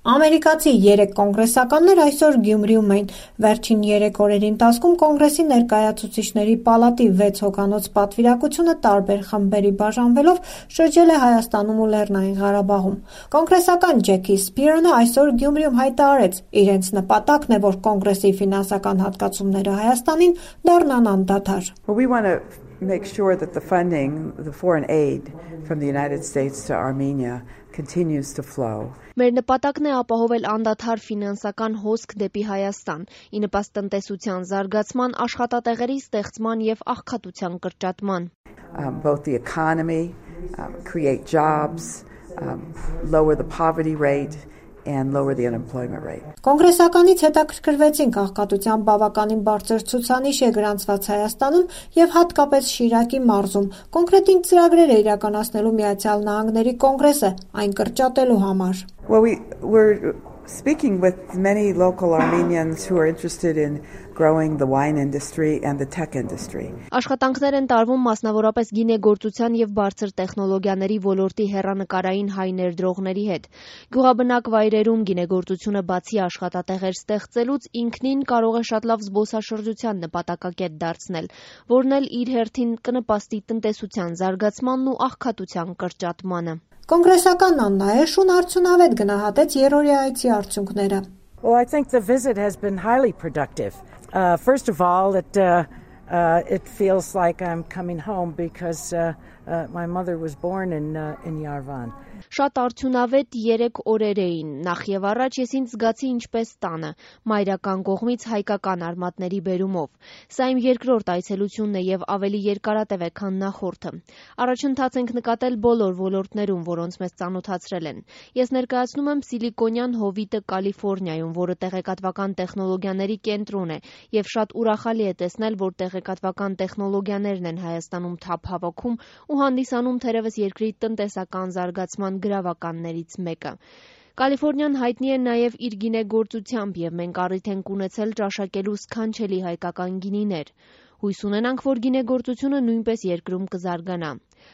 Ամերիկացի 3 կոնգրեսականներ այսօր Գյումրիում էին։ Վերջին 3 օրերի ընթացքում կոնգրեսի ներկայացուցիչների պալատի 6 հոգանոց պատվիրակությունը տարբեր խմբերի բաժանվելով շրջել է Հայաստանում ու Լեռնային Ղարաբաղում։ Կոնգրեսական Ջեքի Սփիրոնը այսօր Գյումրիում հայտարարեց, իրենց նպատակն է, որ կոնգրեսի ֆինանսական հատկացումները Հայաստանին դառնան անդադար։ Make sure that the funding, the foreign aid from the United States to Armenia continues to flow. Մեր նպատակն է ապահովել անդադար ֆինանսական հոսք դեպի Հայաստան, ի նպաստ տնտեսության զարգացման, աշխատատեղերի ստեղծման եւ աղքատության կրճատման. Both the economy, create jobs, lower the poverty rate and lower the unemployment rate. Կոնգրեսականից հետաքրքրվեցինք աղքատության բավականին բարձր ցուցանիշ է գրանցված Հայաստանում եւ հատկապես Շիրակի մարզում։ Կոնկրետ ինչ ծրագրեր է իրականացնելու Միացյալ Նահանգների կոնգրեսը այն կրճատելու համար։ Well, we're speaking with many local Armenians who are interested in growing the wine industry and the tech industry. Աշխատանքներ են տարվում մասնավորապես գինեգործության եւ բարձր տեխնոլոգիաների ոլորտի հեռանկարային հայ ներդրողների հետ։ Գյուղաբնակ վայրերում գինեգործությունը բացի աշխատատեղեր ստեղծելուց ինքնին կարող է շատ լավ զբոսաշրջության նպատակակետ դարձնել, որն էլ իր հերթին կնպաստի տնտեսության զարգացմանն ու աղքատության կրճատմանը։ Կոնգրեսական Աննա Էշուն արդյունավետ գնահատեց երրորդի այցի արդյունքները. Well, I think the visit has been highly productive. First of all, it feels like I'm coming home because my mother was born in Yerevan. Շատ արդյունավետ 3 օրեր էին, նախ եւ առաջ ես ինձ զգացի ինչպես տանը, մայրական կողմից հայկական արմատների բերումով։ Սա իմ երկրորդ այցելությունն է եւ ավելի երկարատև է, քան նախորդը։ Առաջընթաց ենք նկատել բոլոր ոլորտներում, որոնց մեզ ծանոթացրել են։ Ես ներկայացնում եմ Սիլիկոնյան հովիտը Կալիֆոռնիայում, որը տեղեկատվական տեխնոլոգիաների կենտրոն է, եւ շատ ուրախալի է տեսնել, որ տեղեկատվական տեխնոլոգիաներն են Հայաստանում թափ հավաքում ու հանդիսանում թերևս երկրի տնտեսական զարգացման գրավականներից մեկը։ Կալիֆոռնիան հայտնի է նաև իր գինեգործությամբ եւ մենք առիթ ենք ունեցել ճաշակելու սքանչելի հայկական գինիներ։ Հույս ունենանք, որ գինեգործությունը նույնպես երկրում կզարգանա։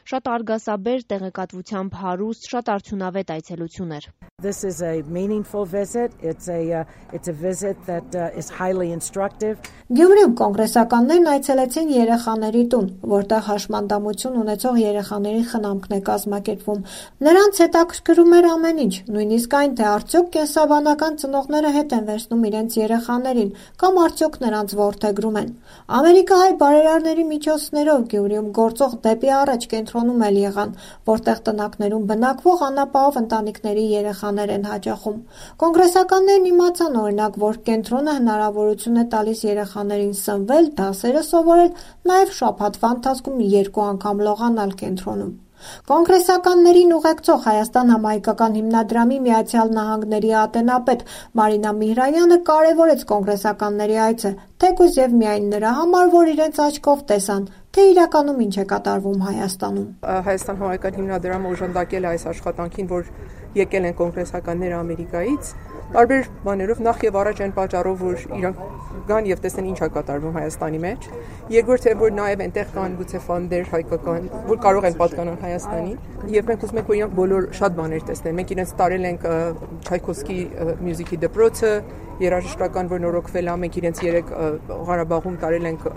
Շատ արգասաբեր, տեղեկատվությամբ հարուստ, շատ արդյունավետ այցելություն էր։ This is a meaningful visit. It's a visit that is highly instructive. Գյումրիում կոնգրեսականներն այցելեցին երեխաների տուն, որտեղ հաշմանդամություն ունեցող երեխաների խնամքն է կազմակերպվում։ Նրանց հետաքրքրում էր ամեն ինչ, նույնիսկ այն, թե արդյոք կենսաբանական ծնողները հետ են վերցնում իրենց երեխաներին, կամ արդյոք նրանց որդեգրում են։ Ամերիկահայ բարերարների միջոցներով Գյումրիում գործող դեպի առաջ կենտրոնում էլ եղան, որտեղ տնակներում բնակվող անապահով ընտանիքների երեխաներ են հաճախում։ Կոնգրեսականներն իմացան օրինակ, որ կենտրոնը հնարավորություն է տալիս երեխաներին սնվել, դասերը սովորել, նաև շաբաթվա ընթացքում 2 անգամ լողանալ կենտրոնում։ Կոնգրեսականներին ուղեկցող Հայաստան համահայկական հիմնադրամի Միացյալ Նահանգների ատենապետ Մարինա Միհրայանը կարևորեց կոնգրեսականների այցը, թեկուզ եւ միայն նրա համար, որ իրենց աչքով տեսան, թե իրականում ինչ է կատարվում Հայաստանում։ Հայաստան համահայկական հիմնադրամը օժանդակել է այս աշխատանքին, որ եկել են կոնգրեսականները Ամերիկայից, տարբեր բաներով, նախ եւ առաջ այն պատճառով, որ իրանք գան եւ տեսնեն ինչ է կատարվում Հայաստանի մեջ, երկրորդ է, որ նաեւ այնտեղ կան գուցե ֆանդեր հայկական, որ կարող են պատկանալ Հայաստանին, եւ մենք ուզում ենք, որ իրանք բոլոր շատ բաներ տեսնեն։ Մենք իրենց տարել ենք Չայկովսկի մյուզիկի դպրոցը, երաժշտական, որ նորոգվել է, մենք իրենց 3 Ղարաբաղում տարել ենք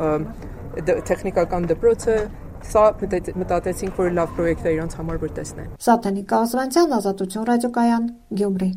տեխնիկական դպրոցը, սա մտածեցինք, որ լավ պրոյեկտ է իրանց համար, որ տեսնեն։ Սաթենիկ Ազրանցյան, Ազատություն ռադիոկայան, Գյումրի։